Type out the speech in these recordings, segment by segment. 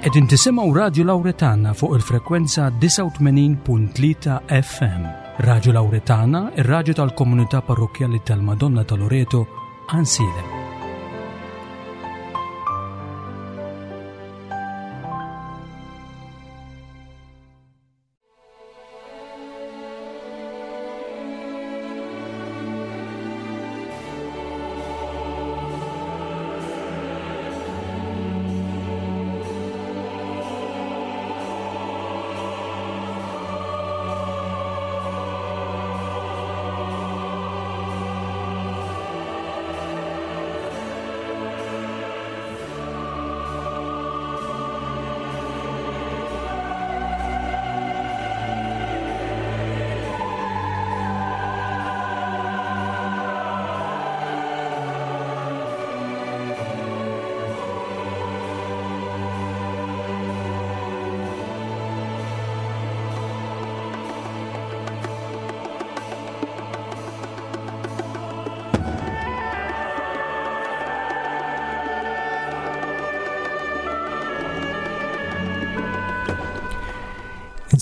Qegħdin tisimgħu Radju Lawretana fuq il-frekwenza 89.3 FM. Radju Lawretana, ir-radju tal-komunità parrokkjali tal-Madonna ta' Loreto, Ansilem.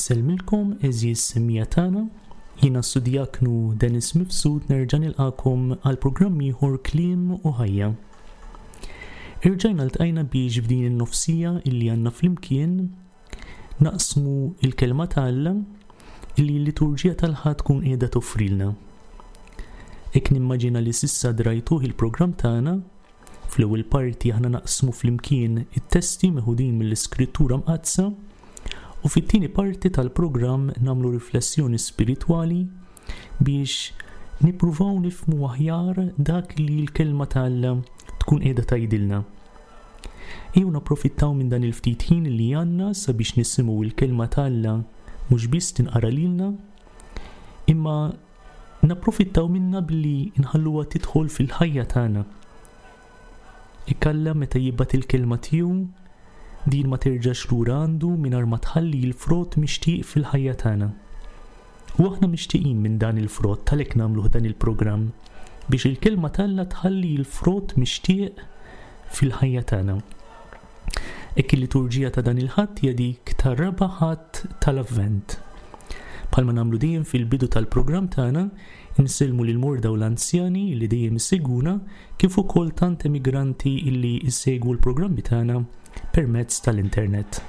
Insellmilkom għeżież semmiegħa tagħna, jiena s-Sudjaknu Dennis Mifsud nerġa' nilqagħkom għal programm ieħor Kliem u Ħajja. Irġajna ltqajna biex f'din in-nofsija illi għandna flimkien naqsmu l-Kelma ta' Alla li l-liturġija tal-Ħadd tkun qiegħda toffrilna. Hekk nimmaġina li s'issa drajtuh il-programm tagħna, fl-ewwel parti aħna naqsmu flimkien it-testi meħudin mill-Iskrittura Mqaddsa u fit-tieni parti tal-programm nagħmlu riflessjoni spiritwali biex nippruvaw nifhmu aħjar dak li l-Kelma ta' Alla tkun qiegħda tgħidilna. Ejjew napprofittaw minn dan il-ftit ħin li għandna sabiex nisimgħu l-Kelma ta' Alla mhux biss tinqara lilna, imma napprofittaw minnha billi nħalluha tidħol fil-ħajja tagħna. Hekk Alla meta jibgħat il-Kelma tiegħu, din ma terġax lura għandu mingħajr ma tħalli l-frott mixtieq fil-ħajja tagħna. U aħna mixtieqin minn dan il-frott għalhekk nagħmluh dan il-programm biex il-Kelma t'Alla tħalli l-frott mixtieq fil-ħajja tagħna. Hekk il-liturġija ta' dan il-Ħadd hija dik tar-raba' Ħadd tal-Avvent. Bħalma nagħmlu dejjem fil-bidu tal-programm tagħna, insellmu lill-morda u l-anzjani li dejjem isegwuna kif ukoll tant emigranti illi jsegwu l-programmi tagħna permezz tal-internet.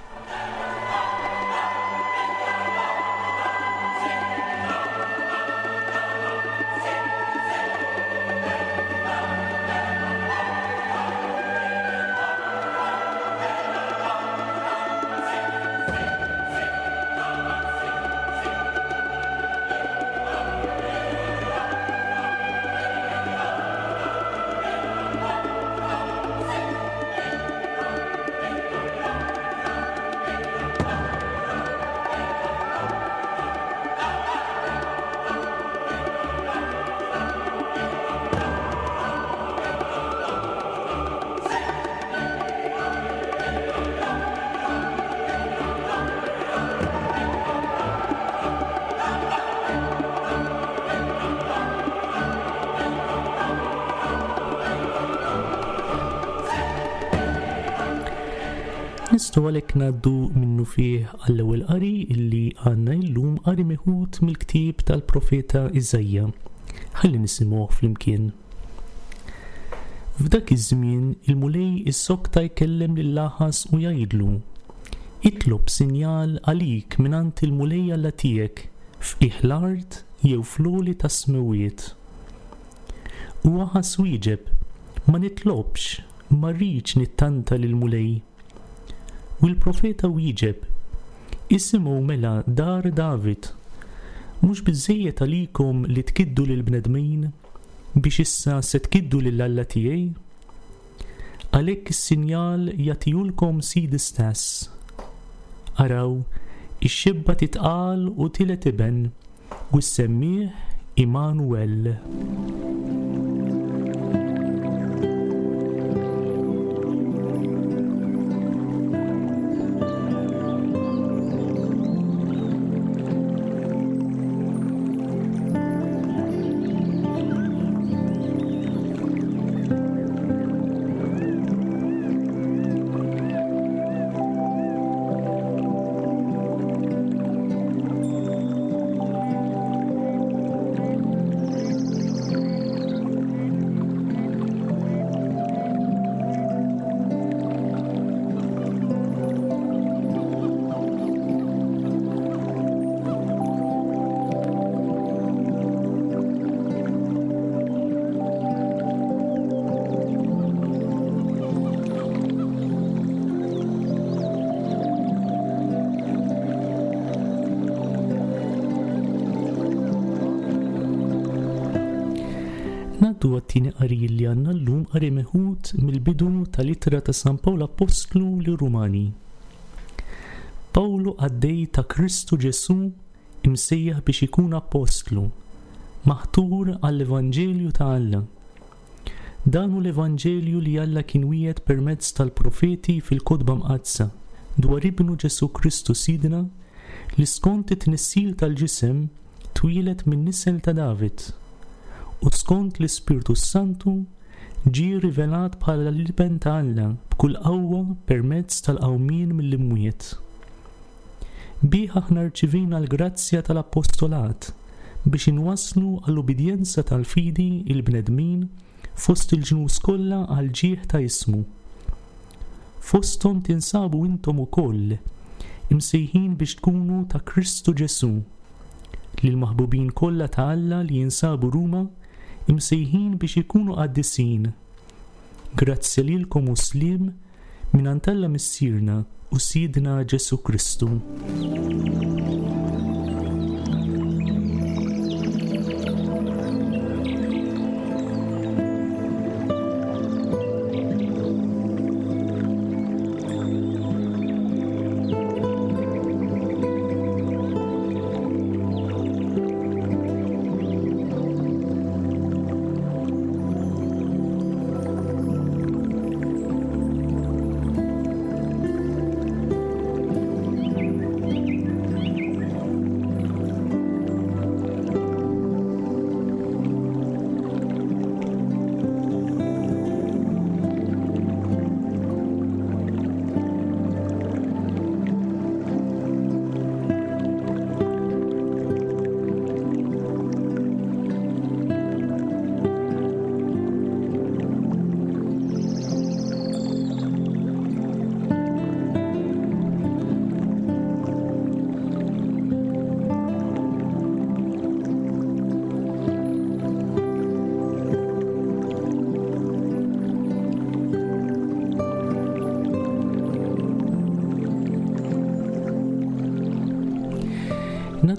Nistgħu għalhekk ngħaddu minnufih għall-ewwel qari illi għandna illum qari meħud mill-ktieb tal-profeta Iżaija. Ħalli nisimgħuh flimkien. F'dak iż-żmien il-Mulej issokta jkellem lil Aħaż u jgħidlu, Itlob sinjal għalik mingħand il-Mulej Alla tiegħek f'qiegħ l-art jew fl-għoli tas-smewwiet. U Aħaż wieġeb, Ma nitlobx, ma rridx nittanta lill-Mulej. U l-profeta wieġeb, Isimgħu mela dar David, mhux biżżejjed għalikom li tkiddu lill-bnedmin, biex issa se tkiddu lil Alla tiegħi? Għalhekk is-sinjal jagħtihulkom Sidi stess. Araw, ix-xebba titqal u tiled iben, u ssemmih Immanuel. għat-tieni qari li għandna llum qari meħud mill-bidu tal-ittra ta' San Pawl Appostlu lir-Rumani. Pawlu qaddej ta' Kristu Ġesù imsejjaħ biex ikun appostlu, maħtur għall-evanġelju ta' Alla. Dan hu l-evanġelju li Alla kien wiegħed permezz tal-profeti fil-Kotba Mqaddsa dwar Ibnu Ġesù Kristu Sidna li skont it-tnissil tal-ġisem twieled min-nisel ta' David u skont l-Ispirtu s-Santu ġie rivelat bħala l-Iben ta' Alla b'kull qawwa permezz tal-qawmien mill-imwiet. Bih aħna rċivejna l-grazzja tal-appostolat biex inwasslu għall-ubbidjenza tal-fidi l-bnedmin fost il-ġnus kollha għall-ġieħ ta' ismu. Fosthom tinsabu intom ukoll, imsejħin biex tkunu ta' Kristu Ġesù. Lill-maħbubin kollha ta' Alla li jinsabu Ruma, imsejħin biex ikunu qaddisin. Grazzja lilkom u sliem mingħand Alla Missierna u Sidna Ġesù Kristu.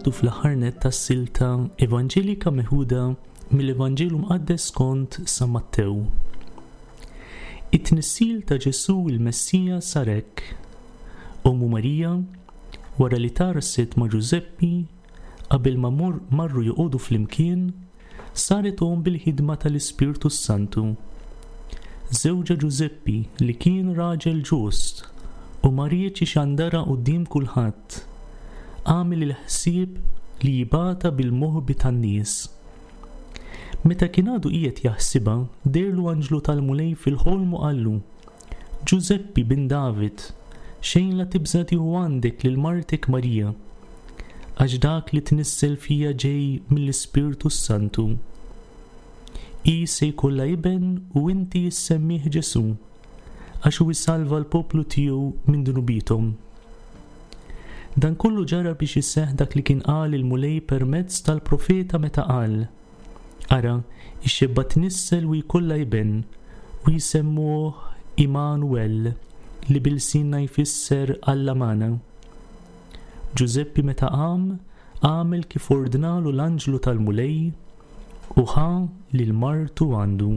Ngħaddu fl-aħħar nett tas-silta evanġelika meħuda mill-Evanġelu Mqaddes skont San Mattew. It-tnissil ta' Ġesù il-Messija sar hekk. Ommu Marija, wara li tgħarrset ma' Ġużeppi, qabel ma marru joqogħdu flimkien, saret omm bil-ħidma tal-Ispirtu s-Santu. Żewġha Ġużeppi li kien raġel ġust u ma riedx ixandarha quddiem kulħadd, għamel il-ħsieb li jibgħatha bil-moħbi tan-nies. Meta kien għadu qiegħed jaħsibha, dehrlu anġlu tal-Mulej fil-ħolm u qallu, Ġużeppi, bin David, xejn la tibża' tieħu għandek lil martek Marija, għax dak li tnissel fiha ġej mill-Ispirtu s-Santu. Hi se jkollha iben u inti issemmih Ġesù, għax hu jsalva l-poplu tiegħu minn dnubiethom. Dan kollu ġara biex iseħħ dak li kien qal il-Mulej permezz tal-profeta meta qal, Ara, ix-xebba tnissel u jkollha iben, u jsemmuh Immanuel, li bi lsienna jfisser Alla magħna. Ġużeppi meta qam, għamel kif ordnalu l-anġlu tal-Mulej, u ħa lil martu għandu.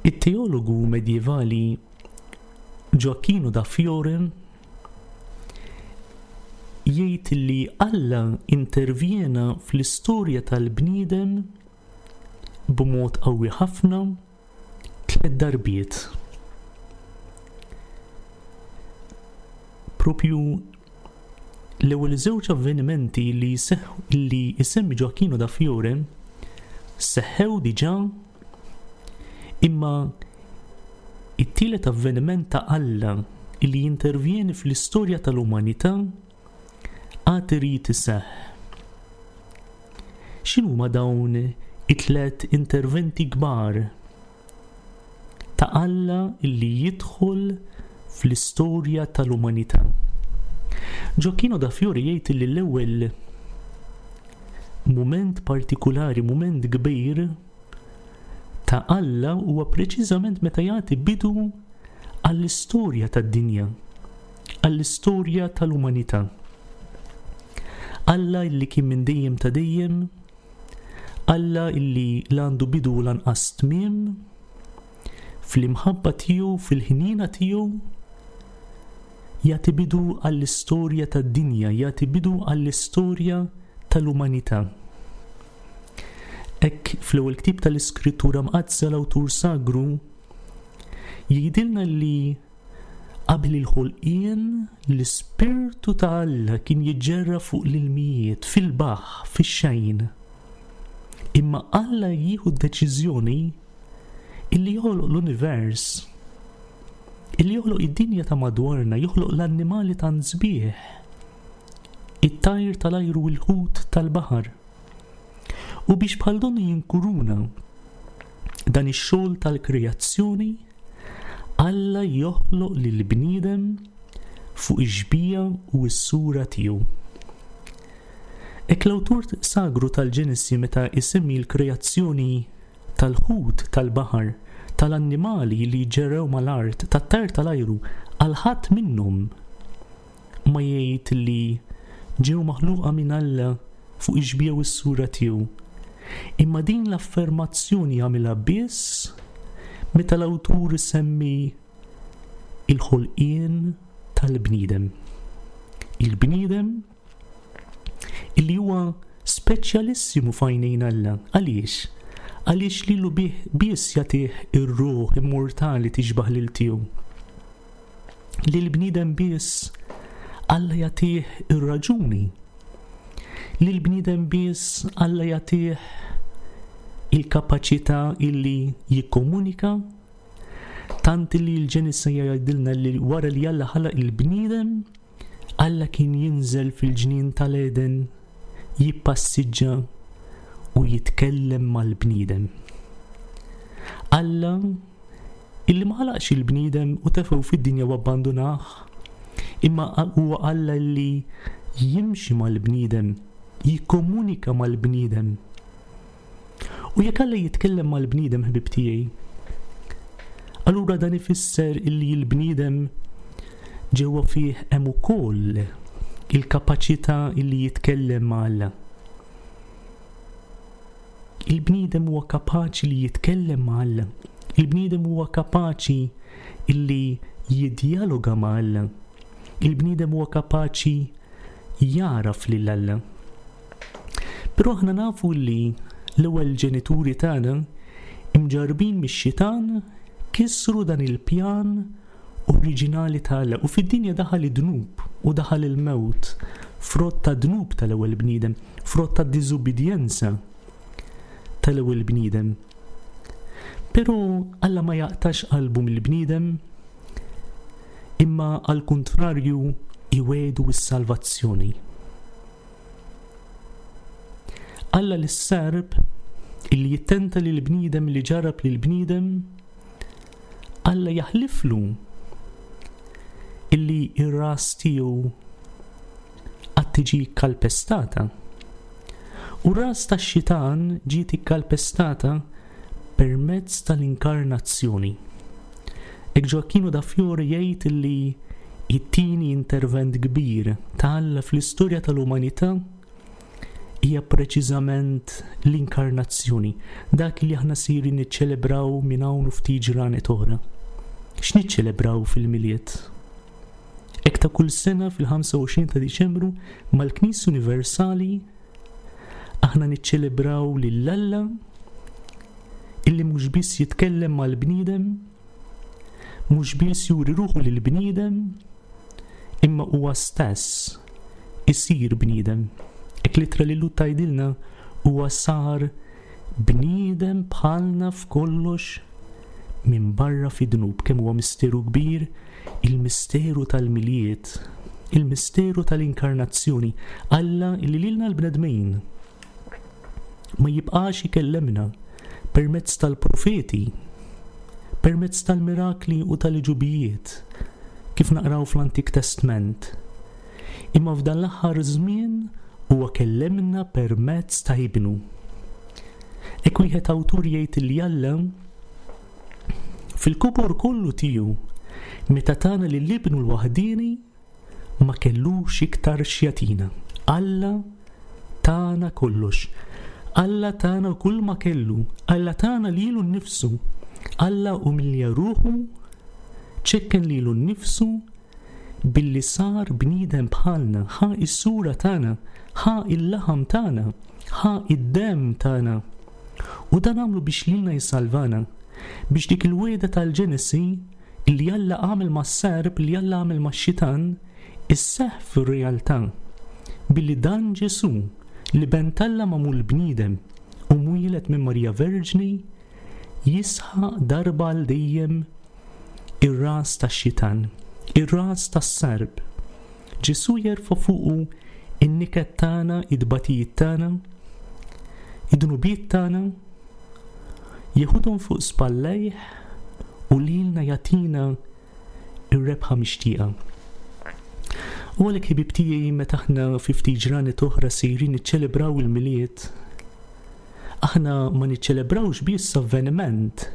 It-teologu medjevali Gioacchino da Fiore jgħid li Alla intervjena fl-istorja tal-bniedem b'mod qawwi ħafna tlett darbiet. Propju l-ewwel żewġ avvenimenti li li jsemmi Gioacchino da Fiore seħħew diġà imma it-tielet avveniment ta' Alla li jintervjeni fl-istorja tal-umanità għad irid iseħħ. X'inhuma dawn it-tlet interventi kbar ta' Alla li jidħol fl-istorja tal-umanità? Gioacchino da Fiore jgħid li l-ewwel mument partikulari, mument kbir ta' Alla huwa preċiżament meta jagħti bidu għall-istorja tad-dinja, għall-istorja tal-umanità. Alla illi kien minn dejjem ta' dejjem, Alla illi la għandu bidu u lanqas tmiem, fl-imħabba tiegħu, fil-ħniena tiegħu, jagħti bidu għall-istorja tad-dinja, jagħti bidu għall-istorja tal-umanità. Hekk fl-ewwel ktieb tal-Iskrittura Mqaddsa l-awtur sagru jgħidilna li Qabel il-ħolqien, l-Ispirtu ta' Alla kien jiġġerra fuq l-ilmijiet, fil-baħħ, fix-xejn. Imma Alla jieħu d-deċiżjoni illi joħloq l-univers, illi joħloq id-dinja ta' madwarna, joħloq l-annimali tant sbieħ, it-tajr tal-ajru u l-ħut tal-baħar. U biex bħal donnu jinkuruna dan ix-xogħol tal-kreazzjoni, Alla joħloq lill-bniedem fuq ix-xbieha u s-sura tiegħu. Hekk l-awtur sagru tal-Ġenesi meta jsemmi l-kreazzjoni tal-ħut tal-baħar, tal-annimali li ġerew mal-art, tat-tajr tal-ajru, għal ħadd minnhom ma jgħid li ġew maħluqa minn Alla fuq ix-xbieha u s-sura tiegħu. Imma din l-affermazzjoni jagħmilha biss meta l-awtur isemmi il-ħolqien tal-bniedem. Il-bniedem illi huwa speċjalissimu f'għajnejn Alla. Għaliex? Għaliex lilu bih biss jagħtih ir-ruħ immortali tixbah lil tiegħu. Lill-bniedem biss Alla jagħtih ir-raġuni. Lill-bniedem biss Alla jagħtih il-kapaċità illi jikkomunika, tant illi l-Ġenesi jgħidilna li wara li Alla ħalaq il-bniedem, Alla kien jinżel fil-ġnien tal-Eden jippassiġġa u jitkellem mal-bniedem. Alla illi ma ħalaqx il-bniedem u tefgħu fid-dinja u abbandunah, imma huwa Alla li jimxi mal-bniedem, jikkomunika mal-bniedem. U jekk Alla jitkellem mal-bniedem ħbib tiegħi, allura dan ifisser illi l-bniedem ġewwa fih hemm ukoll il-kapaċità illi jitkellem ma' Alla. Il-bniedem huwa kapaċi li jitkellem ma' Alla. Il-bniedem huwa kapaċi illi jiddjaloga ma' Alla. Il-bniedem huwa kapaċi jagħraf lil Alla. Però aħna nafu li l-ewwel ġenituri tagħna imġarrbin mix-xitan kisru dan il-pjan oriġinali ta' Alla u fid-dinja daħal id-dnub u daħal il-mewt, frott tad-dnub tal-ewwel bniedem, frott tad-diżubbidjenza tal-ewwel bniedem. Però Alla ma jaqtax qalbu mill-bniedem, imma għall-kuntrarju iwiegħdu s-salvazzjoni. Alla lis-serp illi jittenta lill-bniedem li ġarrab lill-bniedem Alla jaħliflu illi r-ras tiegħu għad tiġi kkalpestata. U r-ras tax-xitan ġiet ikkalpestata permezz tal-inkarnazzjoni. Hekk Gioacchino da Fiore jgħid illi it-tieni intervent kbir ta' Alla fl-istorja tal-umanità. hija preċiżament l-inkarnazzjoni, dak li aħna sejrin niċċelebraw minn hawn u ftit ġranet oħra. X'niċċelebraw fil-Milied? Hekk ta' kull sena fil-25 ta' Diċembru mal-Knisja Universali aħna niċċelebraw lil Alla illi mhux biss jitkellem mal-bniedem, mhux biss juri ruħu lill-bniedem, imma huwa stess isir bniedem. Hekk l-ittra lil Lhud tgħidilna huwa sar bniedem bħalna f'kollox minbarra fid-dnub. Kemm huwa misteru kbir il-misteru tal-Milied, il-misteru tal-Inkarnazzjoni, Alla li lilna l-bnedmin ma jibqax ikellemna permezz tal-profeti, permezz tal-mirakli u tal-għeġubijiet, kif naqraw fl-Antik Testment. Imma f'dan l-aħħar żmien huwa kellemna permezz ta' Ibnu. Hekk wieħed awtur jgħid li Alla fil-kobor kollu tiegħu meta tana lil Ibnu l-waħdieni ma kellux iktar x'jagħtina. Alla tana kollox. Alla tana kull ma kellu. Alla tana lilu nnifsu. Alla umilja ruħu, ċekken lilu nnifsu billi sar bniedem bħalna, ħa s-sura tagħna, ħa l-laħam tagħna, ħa d-demm tagħna. U dan għamlu biex lilna jsalvana, biex dik il-wegħda tal-Ġenesi li Alla għamel mas-serp, li Alla għamel max-xitan, isseħħ fir-realtà, billi dan Ġesù, l-Iben t'Alla magħmul bniedem u mwieled minn Marija Verġni, jisħaq darba għal dejjem ir-ras tax-xitan, ir-ras tas-serp. Ġesù jerfa' fuqu n-niket tagħna, it-tbatijiet tagħna, id-dnubiet tagħna, Jeħodhom fuq spallejh u lilna jagħtina r-rebħa mixtieqa. U għalhekk ħbieb tiegħi meta aħna fi ftit ġranet oħra sejrin niċċelebraw il-Milied, aħna ma niċċelebrawx biss avveniment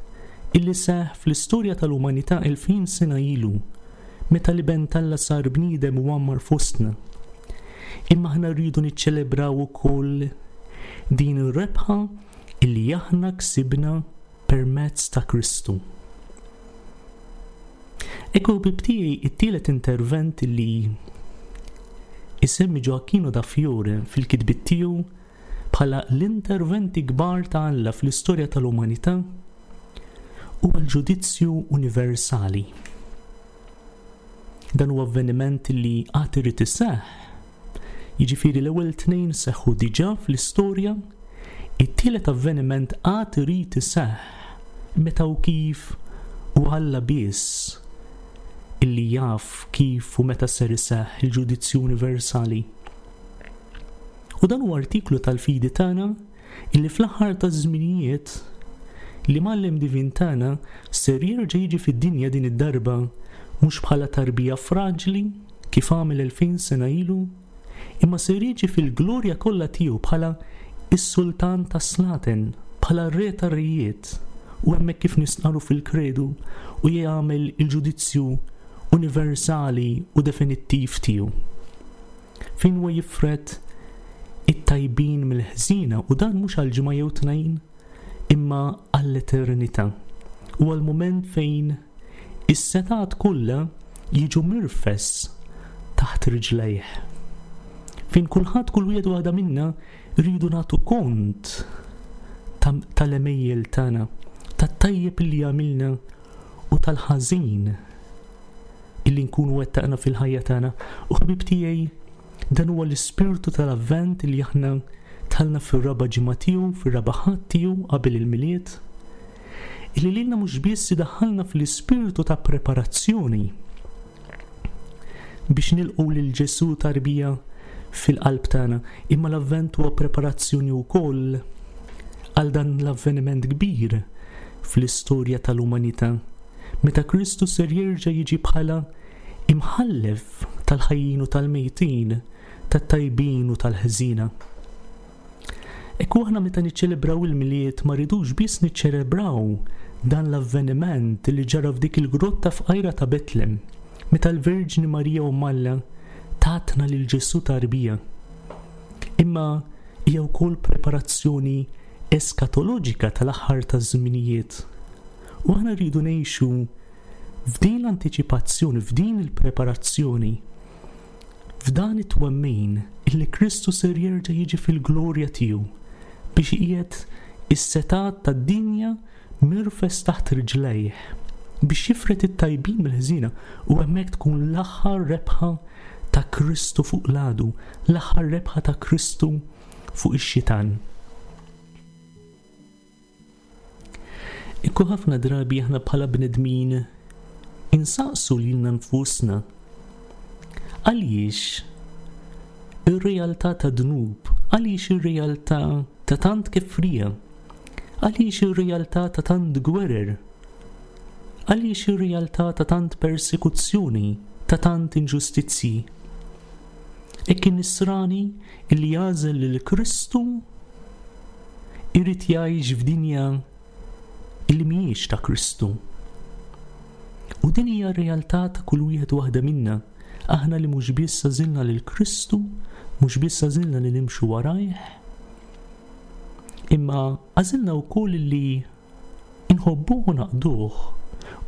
illi seħħ fl-istorja tal-umanità 2000 sena ilu, meta l-Iben t'Alla sar bniedem u għammar fostna. Imma aħna rridu niċċelebraw ukoll din ir-rebħa illi aħna ksibna permezz ta' Kristu. Ekku ħbieb tiegħi it-tielet intervent li isemmi Gioacchino da Fiore fil-kitbiet tiegħu bħala l-interventi kbar ta' Alla fl-istorja tal-umanità huwa l-ġudizzju universali. Dan huwa avveniment li għad irid iseħħ. Jiġifieri l-ewwel tnejn seħħu diġà fl-istorja, it-tielet avveniment għad irid iseħħ meta u kif u Alla biss illi jaf kif u meta ser iseħħ il-ġudizzju universali. U dan huwa artiklu tal-fidi tagħna illi fl-aħħar taż-żminijiet l-Imgħallem Divin tagħna ser jerġa' jiġi fid-dinja din id-darba mhux bħala tarbija fraġli kif għamel 2000 sena ilu, imma ser jiġi fil-glorja kollha tiegħu bħala s-Sultan tas-slaten, bħala r-Re tar-rejiet, u hemmhekk kif nistqarru fil-Kredu u jagħmel il-ġudizzju universali u definittiv tiegħu. Fejn huwa jifred it-tajbin mill-ħżiena u dan mhux għal ġimgħa jew tnejn imma għall-eternità. Huwa l-mument fejn is-setgħat kollha jiġu mirfes taħt riġlejh. Fejn kulħadd kull wieħed u waħda minna rridu nagħtu kont tal-għemejjel tagħna, tat-tajjeb li għamilna u tal-ħażin illi nkunu wettaqna fil-ħajja tagħna. U ħbieb tiegħi, dan huwa l-ispirtu tal-Avvent li aħna tħallna fir-raba' ġimgħa tiegħu, fir-raba' Ħadd tiegħu qabel il-Milied, illi lilna mhux biss idaħħalna fl-ispirtu ta' preparazzjoni biex nilqgħu lil Ġesù tarbija fil-qalb tagħna, imma l-Avvent huwa preparazzjoni wkoll għal dan l-avveniment kbir fl-istorja tal-umanità. Meta Kristu ser jerġa' jiġi bħala Imħallef tal-ħajjin u tal-mejtin, tat-tajbin u tal-ħżiena. Ekku aħna meta niċċelebraw il-Milied ma rridux biss niċċelebraw dan l-avveniment li ġara f'dik il-grotta fqajra ta' Betlem, meta l-Verġni Marija Omm Alla tatna lil Ġesù tarbija. Imma Hija wkoll preparazzjoni eskatoloġika tal-aħħar taż-żminijiet. U aħna rridu ngħixu f'din l-antiċipazzjoni, f'din il-preparazzjoni, f'dan it-twemmin illi Kristu ser jerġa' jiġi fil-glorja tiegħu biex iqiegħed is-setgħat tad-dinja mirfes taħt riġlejh biex jifred it-tajbin mill-ħżiena u hemmhekk tkun l-aħħar rebħa ta' Kristu fuq l-għadu, l-aħħar rebħa ta' Kristu fuq ix-xitan. Ikku ħafna drabi aħna bħala bnedmin insaqsu lilna nfusna għaliex ir-realtà ta' dnub, għaliex ir-realtà ta' tant kefrija, għaliex ir-realtà ta' tant gwerer, għaliex ir-realtà ta' tant persekuzzjoni, ta' tant inġustizzji. Hekk in-nisrani illi jagħżel lil Kristu irid jgħix f'dinja illi mhijiex ta' Kristu. U din hija r-realtà ta' kull wieħed u waħda minna, aħna li mhux biss għażilna lil Kristu, mhux biss għażilna li nimxu warajh, imma għażilna wkoll li inħobbuh u naqduh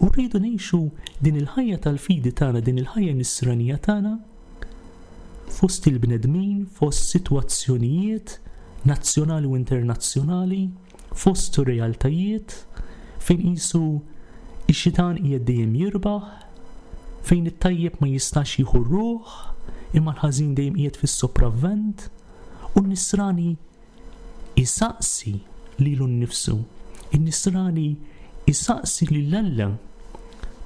u rridu ngħixu din il-ħajja tal-fidi tagħna, din il-ħajja nisranija tagħna fost il-bnedmin, fost sitwazzjonijiet nazzjonali u internazzjonali, fost realtajiet fejn qisu x-xitan qiegħed dejjem jirbaħ, fejn it-tajjeb ma jistax jieħu r-ruħ, imma l-ħażin dejjem qiegħed fis-sopravvent, u n-nisrani isaqsi lilu nnifsu. In-nisrani isaqsi lil Alla.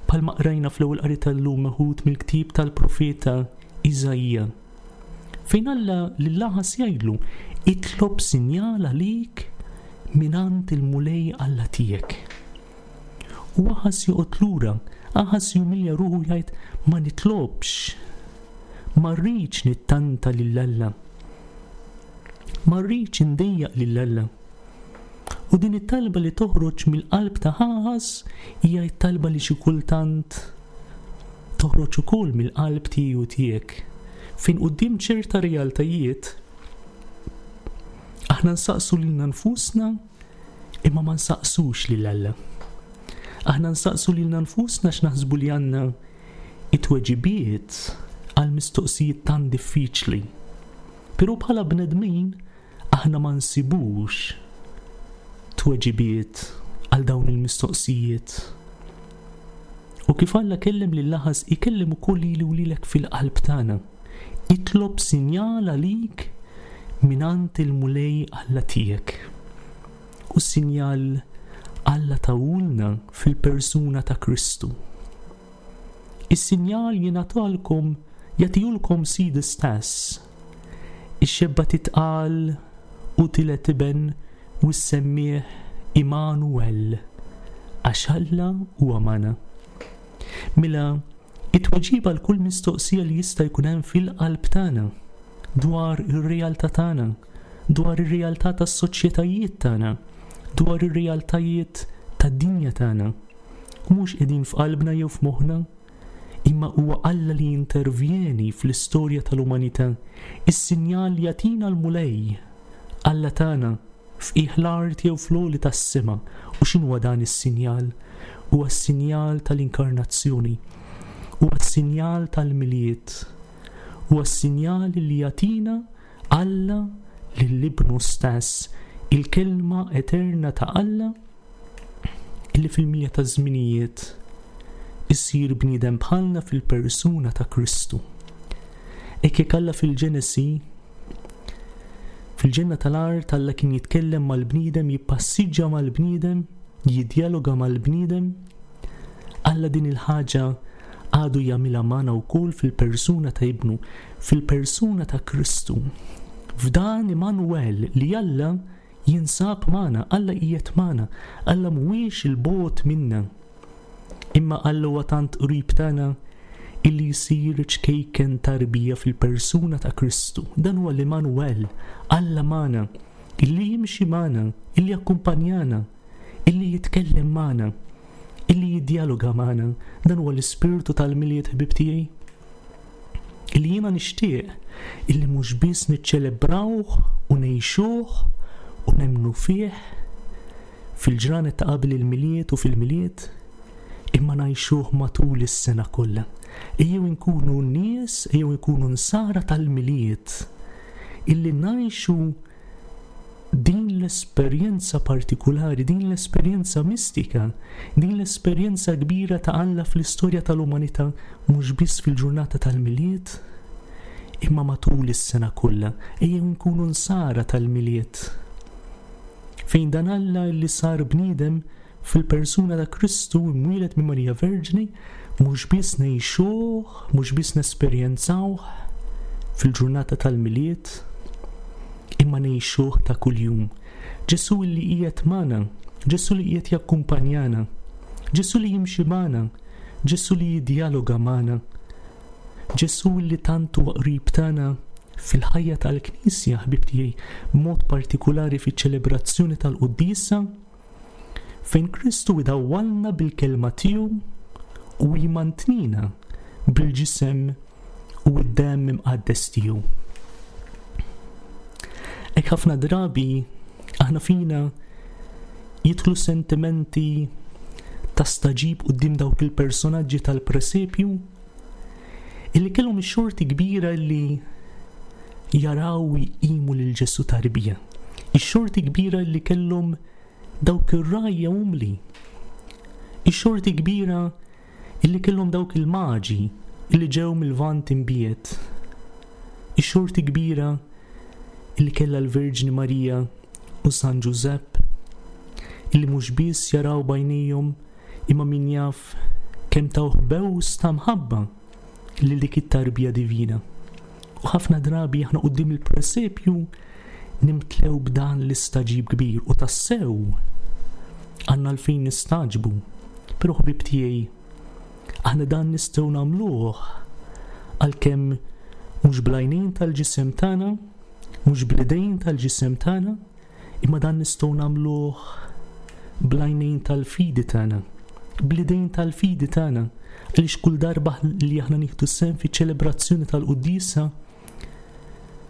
Bħalma qrajna fl-ewwel qari tal-lum meħud mill-ktieb tal-profeta Iżaija. Fejn Alla lil Aħas jgħidlu, itlob sinjal għalik mingħand il-Mulej Alla tiegħek. U Aħas joqgħod lura, Aħas jumilja ruħu jgħid ma nitlobx, ma rridx nittanta lil Alla. Ma rridx indejjaq lil Alla. U din it-talba li toħroġ mill-qalb ta' Aħaż hija t-talba li xi kultant toħroġ ukoll mill-qalb tiegħi u tiegħek, fejn quddiem ċerta realtajiet aħna nsaqsu lilna nfusna imma ma nsaqsux lil Alla. Aħna nsaqsu lilna nfusna x'naħsbu li għandna it-tweġibiet għal mistoqsijiet tant diffiċli. Però bħala bnedmin aħna ma nsibux tweġibiet għal dawn il-mistoqsijiet. U kif Alla kellem lil Aħaż, ikellem ukoll lili u lilek fil-qalb tagħna. Itlob sinjal għalik mingħand il-Mulej Alla tiegħek. U s-sinjal Alla tahulna fil-persuna ta' Kristu. Is-sinjal jingħatalkom, jagħtihulkom Sidi stess. Ix-xebba titqal u tiled iben u ssemmih Immanuel, għax Alla huwa magħna. Mela, it-tweġiba għal kull mistoqsija li jista' jkun hemm fil-qalb tagħna dwar ir-realtà tagħna, dwar ir-realtà tas-soċjetajiet tagħna, dwar ir-realtajiet tad-dinja tagħna, mhux qegħdin f'qalbna jew f'moħħna, imma huwa Alla li jintervjeni fl-istorja tal-umanità. Is-sinjal li jagħtina l-Mulej, Alla tagħna, f'qiegħ l-art jew fl-għoli tas-sema. U x'inhuwa dan is-sinjal? Huwa s-sinjal tal-inkarnazzjoni. Huwa s-sinjal tal-Milied. Huwa s-sinjal li jagħtina Alla lil Ibnu stess, il-Kelma eterna ta' Alla, illi fil-milja taż-żminijiet isir bniedem bħalna fil-persuna ta' Kristu. Hekk jekk Alla fil-Ġenesi fil-ġenna tal-art Alla kien jitkellem mal-bniedem, jippassiġġa mal-bniedem, jiddjaloga mal-bniedem, Alla din il-ħaġa għadu jagħmilha magħna wkoll fil-persuna ta' Ibnu, fil-persuna ta' Kristu. F'dan Immanuel li Alla Jinsab magħna, Alla qiegħed magħna, Alla mhuwiex 'il bogħod minna. Imma Alla huwa tant qrib tagħna illi jsir ċkejken tarbija fil-persuna ta' Kristu. Dan huwa l-Immanuel, Alla magħna, illi jimxi magħna, illi jakkumpanjana, illi jitkellem magħna, illi jiddjaloga magħna. Dan huwa l-ispirtu tal-Milied ħbieb tiegħi. Illi jiena nixtieq illi mhux biss niċċelebrawh u ngħixuh u nemmnu fih fil-ġranet ta' qabel il-Milied u fil-Milied, imma ngħixuh matul is-sena kollha. Ejjew inkunu nies, ejjew inkunu nsara tal-Milied illi ngħixu din l-esperjenza partikulari, din l-esperjenza mistika, din l-esperjenza kbira ta' Alla fl-istorja tal-umanità mhux biss fil-ġurnata tal-Milied, imma matul is-sena kollha. Ejjew nkunu nsara tal-Milied. Fejn dan Alla li sar bniedem fil-persuna ta' Kristu imwieled minn Marija Verġni, mhux biss ngħixuh, mhux biss nesperjenzawh fil-ġurnata tal-Milied, imma ngħixuh ta' kuljum. Ġesù li qiegħed magħna, Ġesù li qiegħed jakkumpanjana, Ġesù li jimxi magħna, Ġesù li jiddjaloga magħna, Ġesù li tant huwa qrib tagħna fil-ħajja tal-Knisja, ħbieb tiegħi, b'mod partikulari fiċ-ċelebrazzjoni tal-Quddiesa, fejn Kristu idawwalna bil-kelma tiegħu u jmantnina bil-ġisem u d-demm imqaddes tiegħu. Hekk ħafna drabi aħna fina jidħlu sentimenti ta' staġib quddiem dawk il-personaġġi tal-presepju illi kellhom ix-xorti kbira illi jaraw u jqimu lil Ġesù tarbija. Ix-xorti kbira li kellhom dawk ir-rgħajja umli. Ix-xorti kbira illi kellhom dawk il-maġi illi ġew mill-Lvant imbiegħed. Ix-xorti kbira illi kellha l-Verġni Marija u San Ġużepp illi mhux biss jaraw b'għajnejhom imma min jaf kemm tawh bews ta' mħabba lil dik it-tarbija divina. U ħafna drabi aħna quddiem il-presepju nimtlew b'dan l-istagħġib kbir u tassew għandna għalfejn nistagħġbu. Però ħbieb tiegħi, aħna dan nistgħu nagħmluh għalkemm mhux bl-għajnejn tal-ġisem tagħna, mhux bl-idejn tal-ġisem tagħna, Imma dan nistgħu nagħmluh bl-għajnejn tal-fidi tagħna, bl-idejn tal-fidi tagħna, għaliex kull darba li aħna nieħdu sehem fiċ-ċelebrazzjoni tal-quddiesa,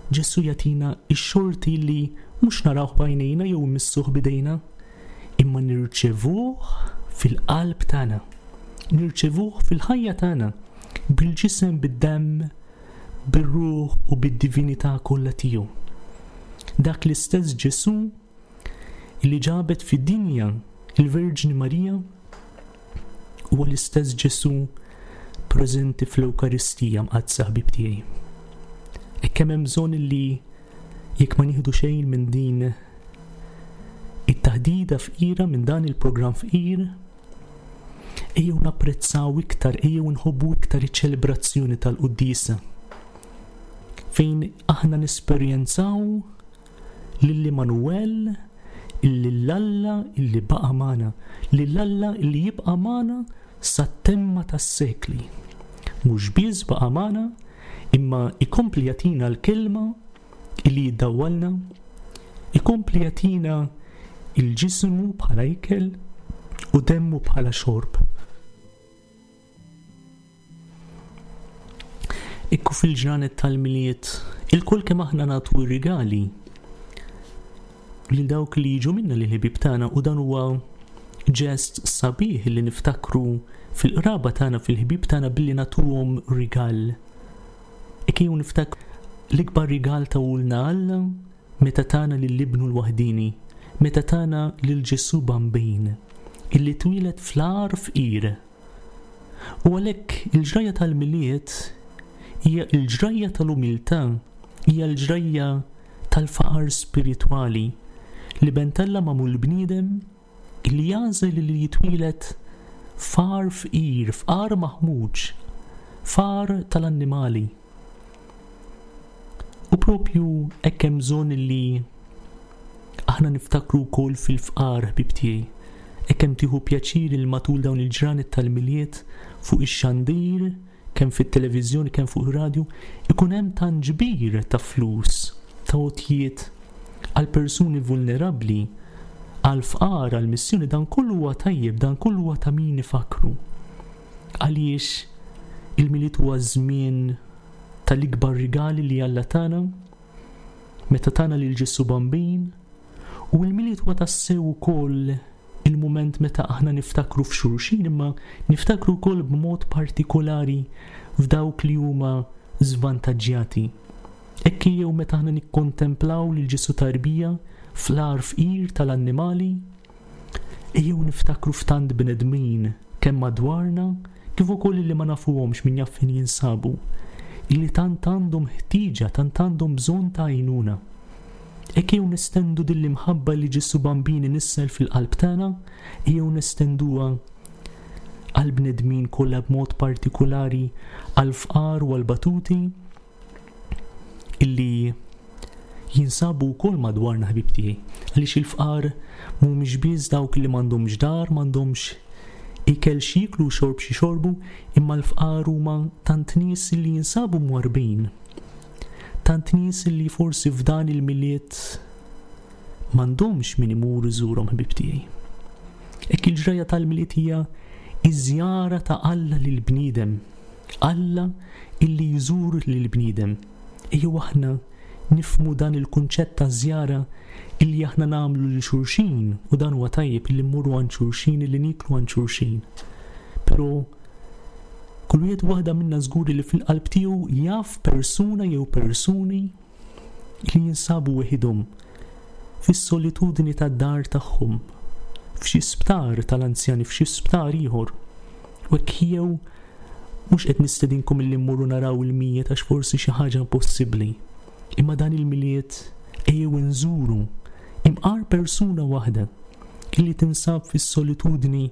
Ġesù jagħtina x-xorti li mhux narawh b'għajnejna jew immissuh b'idejna, imma nirċevuh fil-qalb tagħna, nirċevuh fil-ħajja tagħna, bil-ġisem, bid-demm, bir-ruħ u bid-divinità kollha tiegħu. Dak l-istess Ġesù li ġabet fid-dinja il-Verġni Marija huwa l-istess Ġesù preżenti fl-Ewkaristija mqaddsa ħbieb tiegħi. Hekk kemm hemm bżonn li jekk ma nieħdu xejn minn din it-taħdida fqira minn dan il-programm fqir, Ejjew napprezzaw iktar, ejjew nħobbu iktar iċ-ċelebrazzjoni tal-quddiesa fejn aħna nesperjenzaw lil Immanuel, lil Alla illi baqa' magħna, lil Alla illi jibqa' magħna sat-temma tas-sekli. Mhux biss baqa' magħna, imma ikompli jagħtina l-kelma illi jiddawwalna, ikompli jagħtina il-ġismu bħala ikel u demmu bħala xorb. Ikku fil-ġranet tal-Milied, ilkoll kemm aħna nagħtu r-rigali lil dawk li jiġu minna lil ħbieb tagħna u dan huwa ġest sabiħ li niftakru fil-qraba tagħna fil-ħbieb tagħna billi nagħtuhom rigal. Hekk ejjew niftakru l-ikbar rigal tahulna Alla meta tana lil Ibnu l-waħdieni, meta tana lil Ġesù Bambin, illi twieled fl-għar fqir. U għalhekk il-ġrajja tal-Milied hija l-ġrajja tal-umiltà, hija l-ġrajja tal-faqar spiritwali, l-Iben t'Alla magħmul bniedem, Li jagħżel li jitwieled f'għar fqir, f'għar maħmuġ, f'għar tal-annimali. U propju hekk hemm bżonn li aħna niftakru wkoll fil-fqar ħbieb tiegħi. Hekk hemm tieħu pjaċir li matul dawn il-ġranet tal-Milied fuq ix-xandir, kemm fit-televiżjoni kemm fuq ir-radju, ikun hemm tant ġbir ta' flus, ta' għotjiet għal persuni vulnerabbli, għall-fqar, għall-missjoni, dan kollu huwa tajjeb, dan kollu huwa ta' min ifakkru. Għaliex il-Milied huwa żmien tal-ikbar rigali li Alla tana meta tana lil Ġesù Bambin u l-Milied huwa tassew ukoll il-mument meta aħna niftakru f'xulxin imma niftakru wkoll b'mod partikolari f'dawk li huma żvantaġġjati. Hekk jew meta aħna nikkontemplaw lil Ġesù tarbija fl-għar fqir tal-annimali, ejjew niftakru f'tant bnedmin kemm madwarna kif ukoll li ma nafuhomx min jaf fejn jinsabu, illi tant għandhom ħtieġa, tant għandhom bżonn ta' għajnuna. Hekk ejjew nestendu din l-imħabba li Ġesù Bambin inissel fil-qalb tagħna, ejjew nestenduha għall-bnedmin kollha b'mod partikulari għall-fqar u għall-batuti illi jinsabu wkoll madwarna ħbieb tiegħi. Għaliex il-fqar mhumiex biss dawk li m'għandhomx dar, m'għandhomx ikel x'jieklu u xorb x'jixorbu, imma l-fqar huma tant nies li jinsabu mwarrbin. Tant nies li forsi f'dan il-Milied m'għandhomx min imur iżurhom ħbieb tiegħi. Hekk il-ġrajja tal-Milied hija iż-żjara ta' Alla lill-bniedem. Alla illi jżur lill-bniedem. Ejjew aħna nifhmu dan il-kunċett ta' żjara illi aħna nagħmlu lil xulxin u dan huwa tajjeb illi mmorru għand xulxin illi nieklu għand xulxin. Però kull wieħed u waħda minna żgur li fil-qalb tiegħu jaf persuna jew persuni li jinsabu weħidhom fis-solitudni tad-dar tagħhom, f'xi sptar tal-anzjani, f'xi sptar ieħor. U hekk jew mhux qed nistedinkom illi mmorru naraw il-mijiet għax forsi xi ħaġa impossibbli. Imma dan il-Milied ejjew inżuru imqar persuna waħda illi tinsab fis-solitudni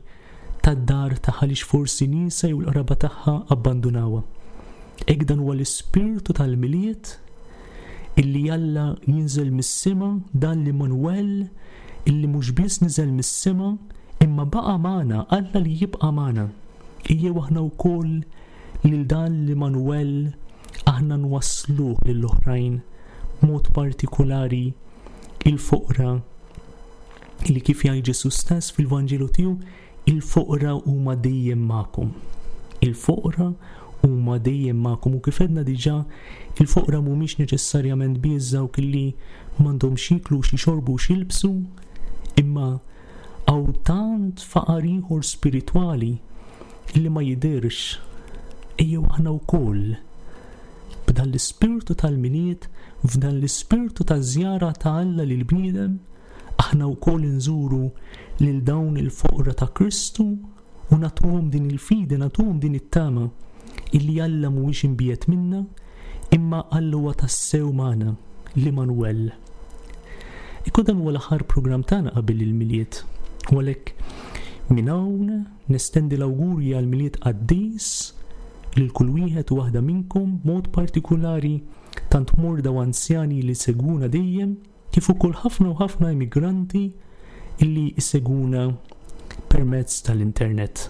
tad-dar tagħha għaliex forsi niesha jew l-qraba tagħha abbandunawha. Hekk dan huwa l-ispirtu tal-Milied illi Alla jinżel mis-sema dan l-Immanuel illi mhux biss niżel mis-sema imma baqa' magħna, Alla li jibqa' magħna. Ejjew aħna wkoll lil dan l-Immanuel aħna nwassluh lill-oħrajn b'mod partikulari il-foqra li kif jgħid Ġesù stess fil-Vanġelu tiegħu, il-foqra huma dejjem magħkom. Il-foqra huma dejjem magħkom u kif għedna diġà, il-foqra mhumiex neċessarjament biss dawk li m'għandhomx jieklu u x'jixorbu u x'jilbsu, imma hawn tant faqar ieħor spiritwali li ma jidhirx. Ejjew aħna wkoll b'dan l-ispirtu tal-Milied, f'dan l-ispirtu taż-żjara ta' Alla lill-bniedem, aħna wkoll inżuru lil dawn il-foqra ta' Kristu u nagħtuhom din il-fidi, nagħtuhom din it-tama illi Alla mhuwiex imbiegħed minna, imma Alla huwa tassew magħna, l-Immanuel. Ikun dan huwa l-aħħar programm tagħna qabel il-Milied. U għalhekk minn hawn nestendi l-awgurji għal Milied qaddis lil kull wieħed u waħda minnkom b'mod partikulari tant morda u anzjani li segwuna dejjem kif ukoll ħafna u ħafna immigranti illi jsegwuna permezz tal-internet.